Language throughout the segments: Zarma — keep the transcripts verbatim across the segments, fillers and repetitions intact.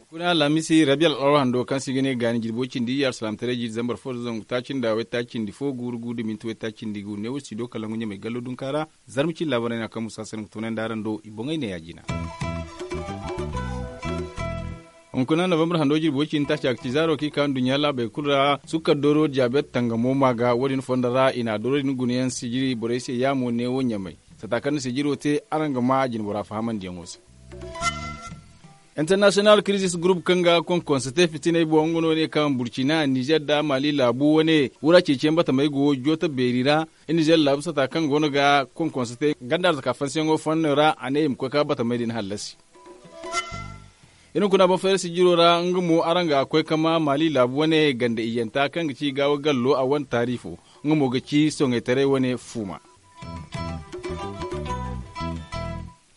Kuna alhamisi rabiya al'arwa hando kaŋ se i ga ne gaani jirbi way cindi iyye alsalaamataray jiiri zambar fo da zangu taaci nda way taaci cindi fo guuru guuru da minti way taaci cindi gu neewo studio kalangu ɲamay gallo dunka ra. Zarma cine laabaray no kaŋ musa sanda ga toonandi araŋ do i boŋey ne ya-jina. Hunkuna novembre hando jirbi way cindi taaci a ga ci zaaro kaŋ i ka nduɲɲa laabey kulu ra sukkar dooro diyabeet tangamo ma ga wo- din fondo ra i na dooro din guna yaŋ sijiri borey se yaamo neewo ɲamay. Sata kaŋ na sijiro te araŋ ga ma jinbora fahamandiyaŋo se. International crisis group kaŋ ga konkonse te fitiney boŋ nga no ne kaŋ burcina nizer nda mali laabu wane wura ceeciyaŋ batamey go jooto beeri ra. Nizer laabu sata kaŋ go no ga konkonse te ganda arzaka fansiyaŋo fanno ra a ne i ma koy ka batamey din hallasi. Iri hunkuna boŋ fayra sijiro ra nga mo araŋ ga koy ka ma mali laabu wane ganda iyyanta kaŋ ga ci gaawa gallo a wane taarifo. Nga mo ga ci soŋaytaray wane fuuma.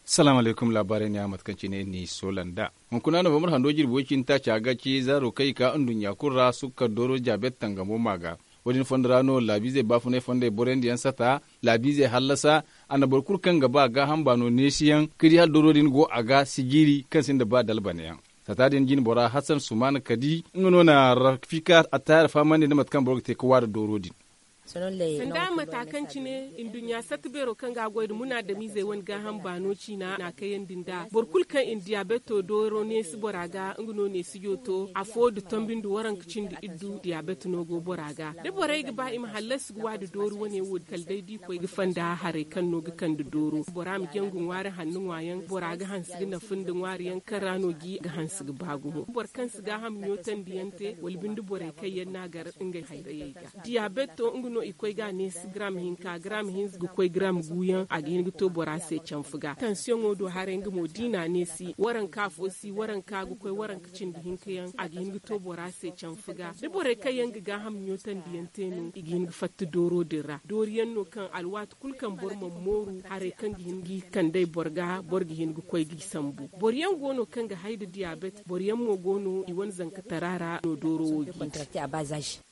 Salaamu alaykum laabaarey ne a mate kaŋ cine ni soola nd'a. Hunkuna novembre hando jirbi way cindi taaca ga ci zaaro kaŋ i ka nduɲɲa kulu ra sukkar dooro diyabeet tangamo ma ga. Wo- din fondo ra no laabiizey baafunay fondey boroyandiyaŋ sata laabiizey hallasa. A na boro kulu kaŋ ga ba gaaham baano neesiyaŋ ka di hala dooro din go a ga sijiri kaŋ sinda ba dalbanayaŋ. Sata din jine bora hassan sumaana kadi nga no na rafika attaayar fahamandi nda mate kaŋ boro ga te ka waari dooro din. Sanda mata kaŋ cine nduɲɲa satta beero kaŋ ga a goy nda munaadamiizey wane gaaham baano ciina na a kayandi nd'a boro kulu kaŋ i na diyaabeto dooro neesi bora ga nga no neesijo to afo nda tombi nda waranka cindi iddu diyaabet no go bora ga da borey ga ba i ma hallasi ga wa nda doori wane wo kala day da i koy ga fanda haray kaŋ no ga kande dooro bora ma jaŋ ga ŋwaari hanno ŋwaayaŋ bora ga hanse ga nafa nda ŋwaariyaŋ kaŋ ra no ga hanse ga ba gumo boro kaŋ si gaaham ɲootandiyaŋ te wala binde borey kaŋ yaŋ no a gar ngey hayrayey ga. Diyabeto nga no i koy ga a neesi garam hinka garam hinza ga koy garam guuyaŋ a ga hin ga to bora se canfa ga tansiyoŋo do haray nga mo da i na a neesi waranka afo si waranka ga koy waranka cindi hinka yaŋ a ga hin ga to bora se canfa ga da borey kaŋ yaŋ ga gaaham ɲootandiyaŋ te no i ga hin ga fatta dooro din ra dooriyaŋ no kaŋ alwaati kulu kaŋ boro mana mooru haray kaŋ ga hin ga i kandey boro ga boro ga hin ga koy ga i sambu boro yaŋ go no kaŋ ga hay nda diyabet boro yaŋ mo go no i wane zankatara ra no dooro wo ga i te.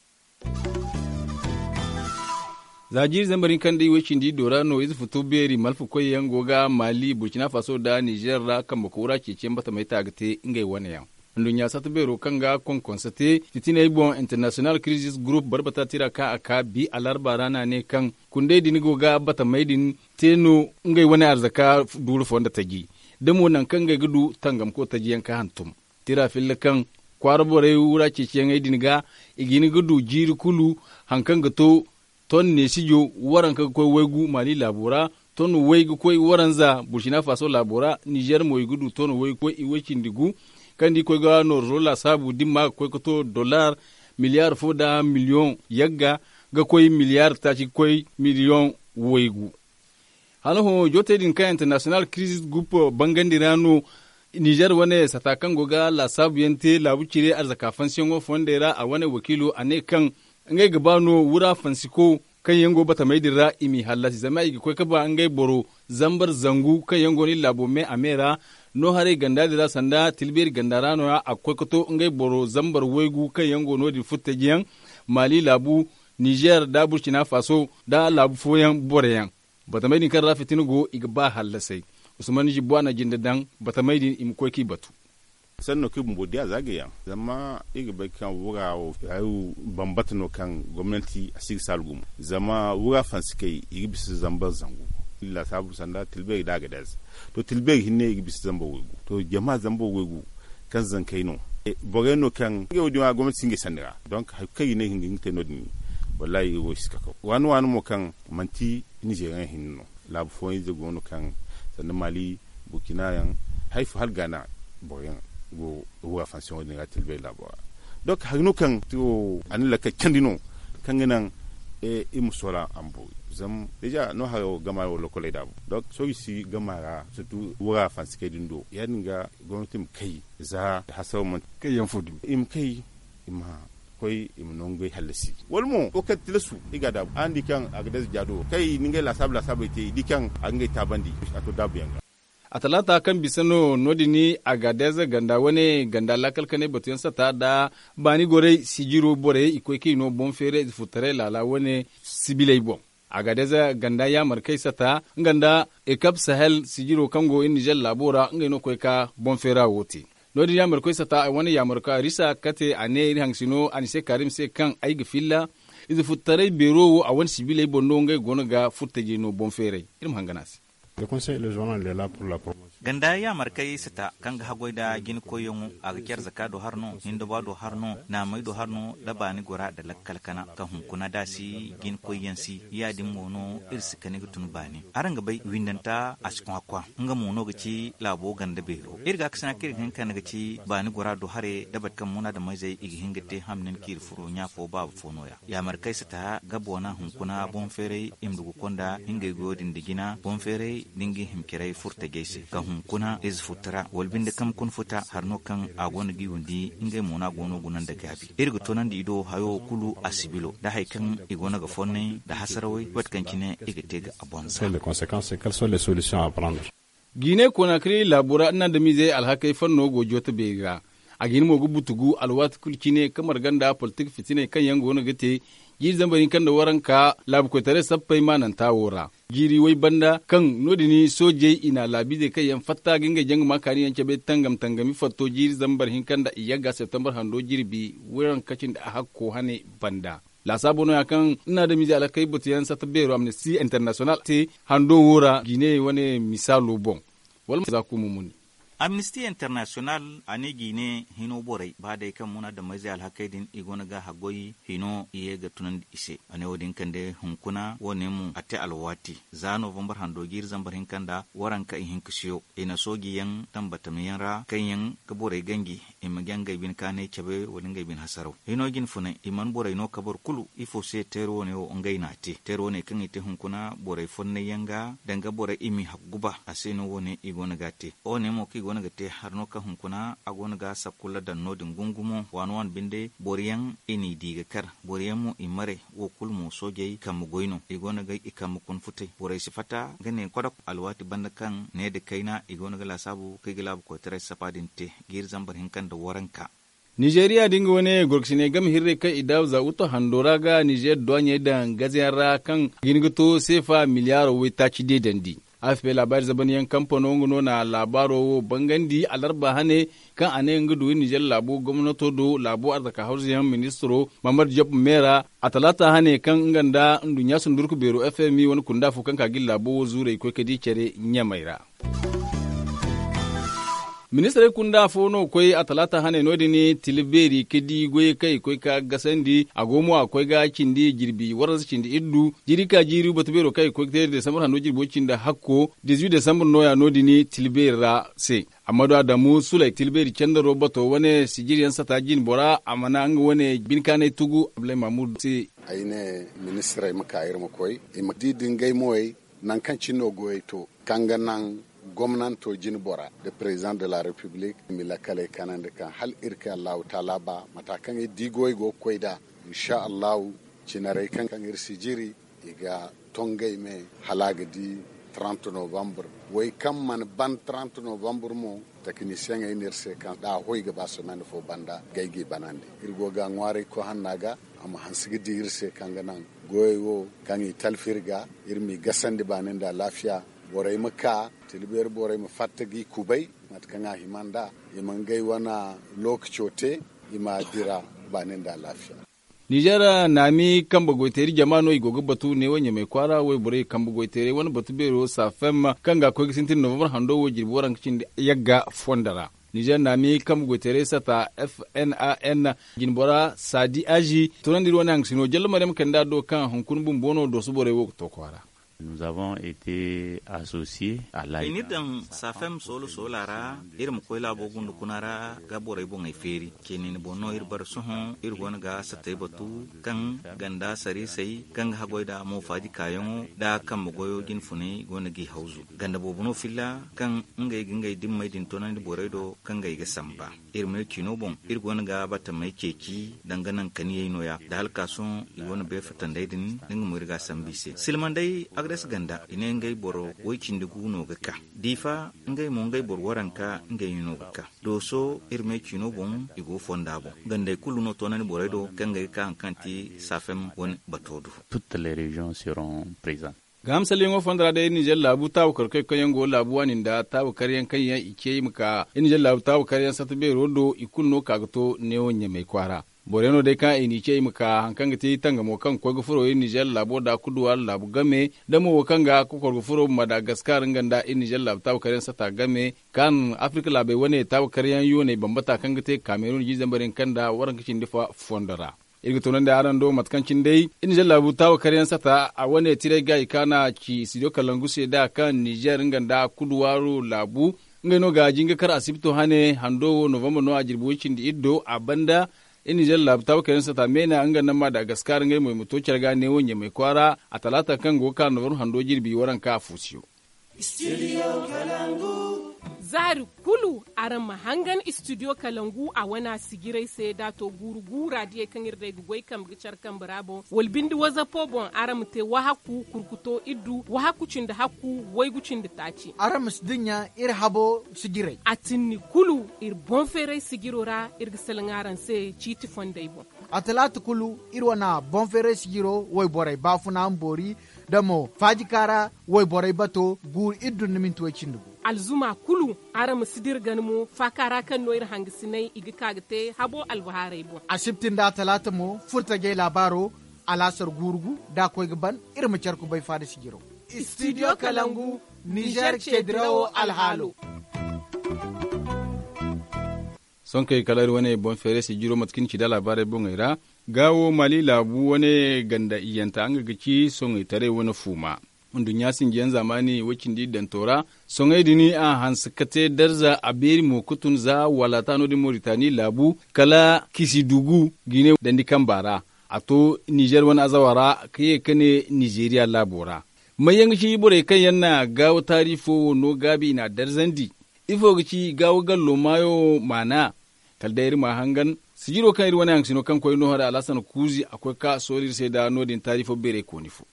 Za jiiri zambar hinka nda iway cindi iddo ra no ize futu beeri malfa koyyaŋ go ga maali burcina faso nda nizer ra kambe koora ceeciyaŋ batamey ta ga te ngey wane yaŋ. Nduɲɲa satta beero kaŋ ga konkonse te fitiney boŋ international crisis group barbata tira kaŋ a ka bi alarba ra no a ne kaŋ kundey din go ga batamey din te no ngey wane arzaka duuru fonda taji da mo nangu kaŋ ngey ga du tangamko tajiyaŋ ka hantum. Tira filla kaŋ kwaara borey wura ceeciyaŋey din ga i ga hin ga du jiiri kulu hari kaŋ ga to ton neesijo waranka ga koy waygu maali laabo ra ton way ga koy waranza burcina faso laabo ra nizer mo i ga du ton way ga koy iway cindi gu kaŋ da i koy ga nooro laasaabu da ni ma ga koy ga to dollar miliyar fo nda miliyoŋ yagga ga koy miliyar taaci ga koy miliyoŋ waygu. Hala hõ jootey din kaŋ international crisis group bangandi ra no nizer wane sata kaŋ go ga laasaabuyaŋ te laabu cire arzaka fansiyaŋo fondey ra a wane wakiilo a ne kaŋ ngey ga ba no wura fansiko kaŋ yaŋ go batamey din ra i m'i hallasi zama i ga koy ga ba ngey boro zambar zangu kaŋ yaŋ go no iri laabo me a me ra no haray ganda din ra sanda tilbeeri ganda ra no- ya a ga koy ga to ngey boro zambar waygu kaŋ yaŋ go no- din furtajiyaŋ maali laabu nizer nda burcina faso nda laabu fooyaŋ boroyaŋ. Batamey din kaŋ ra fitina go i ga ba hallasay. Usman jibbo a na jinde daŋ batamey din i ma koy k'i batu. Sanno kaŋ i bumbo diya za ga yaŋ zama i ga bay kaŋ wura wo hayo bambata no kaŋ gomnanti a si ga saalu gumo zama wura fansikey i ga bisa zambar zangu. Iri laasaabu sanda tilbeeri da a ga daaze to tilbeeri hinne i ga bisa zambar waygu to jama zambar waygu kaŋ zankey no borey no kaŋ ngey wo- din wo gomnanti si ngey sanda ra. Donk hari kulu kaŋ i ne i ga hin ga te no- din wallaahi iri wo si kakaw waani waani mo kaŋ manti nizeriyaŋ hinne no. Laabu fooyaŋ ize go no kaŋ sanda maali burkina yaŋ hari fo hala gaana boro yaŋ go wura fansiyaŋo din ga tilbay laabo ra. Donk hari no kaŋ a na lakkal candi no kaŋ ga naŋ iri ma soola a ma boori zama deja no haro gama wo lokoley daabu donk sohõ i si gama ra surtu wura fansikey din do ya- din ga gomnati ma kay za hasaro manti kayyaŋ fo dumi i ma kay i ma koy i ma no ngey hallasi wala mo wo kaŋ tilasu i ga a daabu araŋ di kaŋ a ga daza jaado kaŋ i na ngey laasaabu laasaabey te i di kaŋ a ga ngey taabandi a to daabuyaŋ ga. A talaata kaŋ bisa no no- din, agadez ganda wane ganda laakal kanay batuyaŋ sata nda baani gorey sijiro borey i koy kaŋ i no boŋ feeray ize furtaray laala wane sibiley boŋ. Agadez ganda yaamarkey sata nga nda ekap sahel sijiro kaŋ go iri nizer laabo ra ngey no koy ka boŋ feera wo te. No- din yaamarkoy sata wane yaamarkoy arisa kate a ne iri hangasino a ni se kaarim se kaŋ ay ga filla ize furtaray beero wo a wane sibiley boŋ no ngey go no ga furtajey no boŋ feeray. Iri ma hangan a se. Ganda yaamarkey sata kaŋ ga haggoy nda jina koyyaŋo, a ga care zaka do har no, hinda ba do har no, naamey do har no, nda baani gora nda lakkal kana ka hunkuna da a si jina koyyaŋ si. Ya- din mo no iri si kani ga tun baani. Araŋ ga bay windanta a si kwakwa. Nga mo no ga ci laabo ganda beero iri ga a kasina kaŋ iri ga hin kande ga ci baani gora do hare nda bate kaŋ munaadameyzey i ga hin ga te hamnin kaŋ iri furo ɲa fo baaba fo no- ya. Yaamarkey sata ga boona hunkuna boŋ feeray i ma dugu konda hingey goyo din da jina boŋ feeray da nga i hima caray furtajey se ka hunkuna ize futa ra wala binde kambe kuna futa hari no kaŋ a go no ga i windi. Ngey mo no a go no guna nda gaabi iri ga toonandi i do hayo kulu a sibilo nda hari kaŋ i go no ga fonnay nda hasarawey waati kaŋ cine i ga te ga a boŋ za. Jiine konaakari laabo ra nda adamiizey alhakey fanno go jooto beeri ra. A ga hin mo ga butugu alwaati kulu cine ka marga nda politik fitiney kaŋ yaŋ go no ga te jiiri zambar hinka nda waranka laabu koytaray sappey maananta wo ra. Jiiri way banda kaŋ no- din soojey i na laabiizey kaŋ yaŋ fatta ga ngey jaŋ ga ma kaani yaŋ cabe tangam tangami fatto jiiri zambar hinka nda iyagga septembar hando jirbi waranka cindi ahakko hane banda. Laasaabo no- ya kaŋ nda adamiizey alhakey batuyaŋ satta beero amnisti international te hando wo ra jiine wane misaalo boŋ. Wala ma za kumo muni. Amnisti international a ne jiine hino borey ba day kaŋ munaadameyzey alhakey din i go no ga haggoy hino i ye ga tunandi i se. A ne wo- din kande hunkuna wo- ne mo a te alwaati za novambar hando jiiri zambar hinka nda waranka ihinka siyo i na sooji yaŋ tambatamiyaŋ ra kaŋ yaŋ ga borey ganji i ma jaŋ ngey bine kaanay cabe wala ngey bine hasaraw. Hino jine funay i mana borey no kabar kulu ifo se teeri wo- ne wo ngey no a te teeri wo- ne kaŋ i te hunkuna borey fonnay yaŋ ga danga borey i m'i hakku guba a se no wo- ne i go no ga a te. Wo- ne mo kaŋ i go no ga te hari no kaŋ hunkuna a go no ga sakkulla daŋ no- din gungumo waani waani binde boro yaŋ i n'i di ga kar boro yaŋ mo i maray. Wo kulu mo soojey kambe goy no i go no ga i kambe kuna futay borey si fatta ga ne kodok alwaati banda kaŋ ne nda kayna i go no ga laasaabu kaŋ i ga laabu koytaray sapa din te jiiri zambar hinka nda waranka. Nizeeriya da nga wane gorkasiney game hirrey kaŋ i daabu za uto hando ra ga nizeer duwaaɲey daŋ gazeyaŋ ra kaŋ ga hin ga to seefa miliyaaro waytaaci deedandi. Afp laabaari zabanyaŋ kampano nga no na laabaaro wo bangandi alarba hane kaŋ a ne nga du nizeer laabo gomnato do laabo arzaka hawzuyaŋ ministiro mahamad job meera a talaata hane kaŋ nga nda nduɲɲa sundurku beero fmi wane kunda fo kaŋ ka ga iri laabo wo zuurey koy ka di care ɲamey ra. Ministirey kunda fo no koy a talaata hane no- din tila beeri ka di goyey kaŋ i koy ka gasandi a go mo a koy ga cindi jirbi waranza cindi iddu jiiri ka jiiri batu beero kaŋ i koy ga te desambar hando jirbo cindi hakko dizuit desambar no- ya no- din tila beeri ra se. Amma do adamu sulay tila beeri candaro bato wane sijiriyaŋ sata jine bora a mana nga wane binkaanay tugu abdulay mahmud se. Ay ne ministirey ma ka iri ma koy i ma di dingay moyey nangu kaŋ cine no goyey to kaŋ ga naŋ gomnanto jine bora nda president de la republique i ma lakkaley kanandi kaŋ hala iri kay allahu taala ba mata kaŋ iri di goyey go ga koy nd'a. Insa allahu cinarey kaŋ iri si jiri i ga tongay me hala a ga di trente novembre. Way kaŋ mana ban trente novembre mo takinisiyaŋey ne iri se kaŋ da a hoy ga ba semaine fo banda gay g'i banandi. Iri go ga ŋwaaray koy hanna ga a ma hanse ga di iri se kaŋ ga naŋ goyey wo kaŋ i talfi iri ga iri m'i gasandi baani nda alaafiya. Borey ma ka tila beeri borey ma fatta g'i kubay mate kaŋ a hima nd'a i ma ngey wane lookaco te i ma dira baani nda alaafiya. Nizer naami kambe goyteeri jama no i go ga batu neewo ɲamey kwaara wayborey kambe goyteerey wane batu beero safem kaŋ ga koy ga sintin novembre hando wo jirbi waranka cindi yagga fondo ra. Nizer naami kambe goyteerey sata fnan jinbora sadi azi tunandi iri wane hangasino jalla maryam kanda do kaŋ hunkuna bumbo no dooso borey wo ga to kwaara. I n'iri daŋ safem soola soola ra iri ma koy laabo gunda kuna ra ga borey boŋey feeri. Ceeneeni boŋ no iri bare sohõ iri go no ga satey batu kaŋ ganda sariisey kaŋ ga haggoy nda moofaaji kaayaŋo nda kambe goyo jine funay go no g'i hawzu ganda boobo no filla kaŋ ngey ga ngey dimmey din toonandi borey do kaŋ ngey ga samba. Iri ma ne ciino boŋ iri go no ga batamey ceeci danga naŋ kaniyey nooya nda hala ka sohõ i go no beefatandey din nda nga mo iri ga a sambu i se silmandey. Res ganda i ne ngey boro woy cindi gu no ga ka. Diifa ngey mo ngey boro waranka ngey no ga ka. Dooso iri me ciino boŋ i go fonda boŋ. Gandey kulu no toonandi borey do kaŋ ga ka haŋ kaŋ ti saafem wane bato do. Gaaham salliyaŋo fonda ra day ninzeer laabu taabu karkoy kaŋ yaŋ go laabu waani nda taabu karyaŋ kaŋ yaŋ i ce i ma ka ninzeer laabu taabu karyaŋ satta beero do i kulu no ka ga to neewo ɲamay kwaara. Boro yaŋ no day kaŋ i n'i ce i ma ka haŋ kaŋ ga ti tangamo kaŋ ga koy ga furo ninzeer laabo nda kuduwaari laabu game da mo wo kaŋ ga kokor ga furo madagaskar nga nda ninzeer laabu taabu karyaŋ satta game kaŋ afirka laabey wane taabu karyaŋ yooney bambata kaŋ ga te kamerun jiizambar yaŋ kaŋ nda waranka cindi fa fondo ra. Iri ga toonandi araŋ do mate kaŋ cine day ninzeer laabu taabu karyaŋ sata a wane tiray ga i kaana ci studio kalangu se da kaŋ ninzeer nga nda kuduwaaro laabu ngey no ga jinga kar asibto hane hando wo novembre no a jirbi way cindi iri do a banda. Ninzeer laabu taabu karyaŋ sata meena nga nda madagaskar ngey mo i ma to care ga neewo ɲamay kwaara a talaata kaŋ go ga ka novembre hando jirbi waranka a fuusiyo. Zaari kulu araŋ ma hangan studio kalangu a wana sijiray se da a to guuru guura diyey kaŋ iri day ga goy kambe ga care kambe ra boŋ wala binde wazapo boŋ araŋ ma te wahakku kurkuto iddu wahakku cindi hakku waygu cindi taaci. Araŋ ma si dinya iri habo sijiray a tinni kulu iri boŋ feeray sijiro ra iri ga salaŋ araŋ se ciiti fondey boŋ. A talaata kulu iri wana boŋ feeray sijiro wayborey baafuna ma boori da mo faajika ra wayborey bato guuru iri dun ni minti way cindi gu. Alzuma kulu araŋ ma si dira gana mo faaka ra kaŋ no iri hangasinay i ga ka ga te habo albahaarey boŋ. Asibti nda talaata mo furtajey laabaaro alaasar guuru gu da a koy ga ban iri ma care kubay faada sijiro. Studio kalangu ninzeer ce dirawo alhaalo. Sonkey kala iri wane boŋ feeray sijiro mate kaŋ ni ci da laabaarey boŋey ra. Gaawo maali laabu wane ganda iyyanta nga ga ci soŋey taray wane fuuma. Nduɲɲa sinjiyaŋ zaamaani way cindi iddanto ra soŋey din a hanse ka te darza a beeri mo ga tun za walaata no- din moritani laabu kala kisidugu gine dandi kamba ra. A to nizer wane azawa ra ka ye ka ne nizeriya laabo ra. May yaŋ ga ci borey kaŋ yaŋ na gaawo taari fo wo no gaabi i n'a darzandi? Ifo ga ci gaawo gallo maayo maana? Kala day iri ma a hangan sijiro kaŋ iri wane haŋ ga sino kaŋ koy noohora alhasan kuuzi a koy ka soori iri se nda no- din taari fo beerey kooni fo.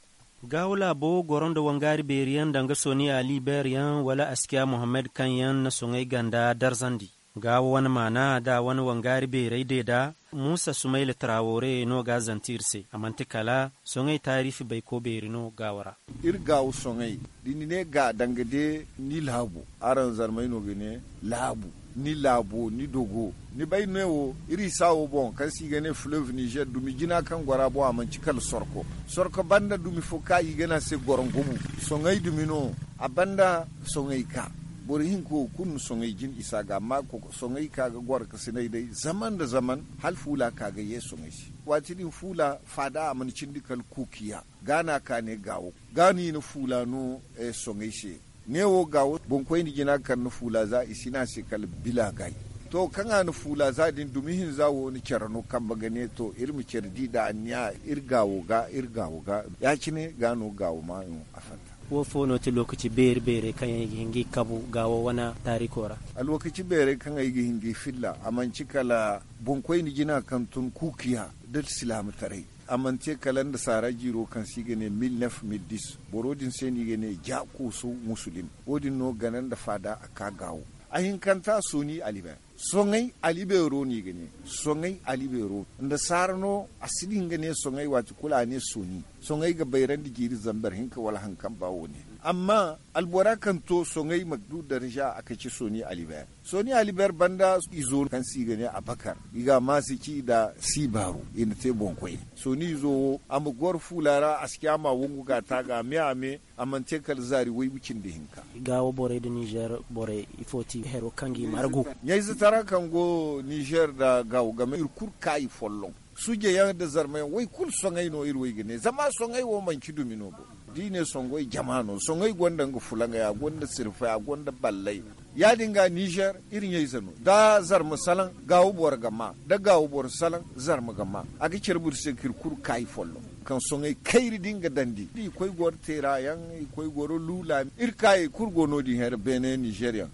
Gaawo laabo goro nda wangaari beeri yaŋ danga soni ali beer yaŋ wala askiya mohammed kaŋ yaŋ na soŋay ganda darzandi. Gaawo wane maana nda a wane wangaari beerey deeda muusa sumayla tarawoore no ga a zante iri se a manti kala soŋay taariifi bayko beeri no gaawo ra. Iri gaawo soŋay da ni ne ga danga de ni laabu araŋ zarmey no ga ne laabu ni laabo ni dogo. Ni bay ne wo iri isa wo boŋ kaŋ se i ga ne fleuve nizer dumi jina kaŋ goro a boŋ a manci kala sorko. Sorko banda dumi fo kaŋ i ga ne a se gorongomu. Soŋay dumi no a banda soŋay ka boro hinka wo kulu na soŋay jin isa ga amma soŋay ka ga goro ka sinay day zaman nda zaman hala fuula ka ga ye soŋay se. Waati din fuula faada a mana cindi kala kuukiya ga no a ka ne gaawo ga no i na fuula no soŋay se. Ne wo gaawo boŋkoyne jina kaŋ na fuula za i si ne a se kala bila gay. To kaŋ a na fuula za din dumi hinza wo na care no kambe ga ne to iri ma care di nd'a anniya iri gaawo ga iri gaawo ga. Ya- cine ga no gaawo maayo a fatta. Wo fo no ti lookaci beeri beerey kaŋ yaŋ i ga hin ga i kabu gaawo wane taariko ra? Alwakaci beerey kaŋ ay ga hin ga i filla a manci kala boŋkoyne jina kaŋ tun kuukiya nda silaamataray. A mana te kala nda saara jiiro kaŋ se i ga ne mil nef mil dis boro din se no i ga ne ja kooso musulim. Wo- din no gana nda faada a ka gaawo. A hinkanta sooni alibeer soŋay alibeero no i ga ne. Soŋay alibeero nda saara no a si din ga ne soŋay waati kulu a ne sooni. Soŋay ga bayrandi jiiri zambar hinka wala haŋ kaŋ ba wo- ne. Amma albora kaŋ to soŋay ma du darza a ka ci sooni alibeer. Sooni alibeer banda izo kaŋ se i ga ne abakar i ga a maasi ci nda siibaaru i na te boŋkoy. Sooni izo wo a ma goro fuula ra a si caama wongu ga a taaga a me a me. A mana te kala zaari waygu cindi hinka. Gaawo borey nda nizer borey ifo ti hero kaŋ ga i margu? Ɲayze tara kaŋ go nizer nda gaawo game iri kulu kaayi folloŋ. Suje yaŋ nda zarma yaŋ way kulu soŋay no iri way ga ne zama soŋay wo manci dumi no bo. Da i ne soŋay jama no soŋay gonda nga fulaŋay a gonda sirfay a gonda ballay. Ya- din ga nizer iri ɲayze no da zarma salaŋ gaawo boro ga ma da gaawo boro salaŋ zarma ga ma. A ga care boro se ka iri kulu kaayi folloŋ kaŋ soŋay kayri din ga dandi i koy goro teera yaŋ i koy goro luula iri kaayey kulu go no- din here beene nizer yaŋ.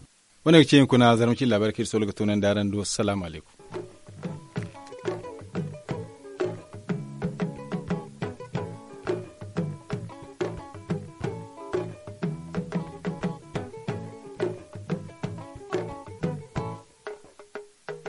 Wane ga ce hunkuna zarma cine laabaari kaŋ iri solo ga toonandi araŋ do salaamu alaykum.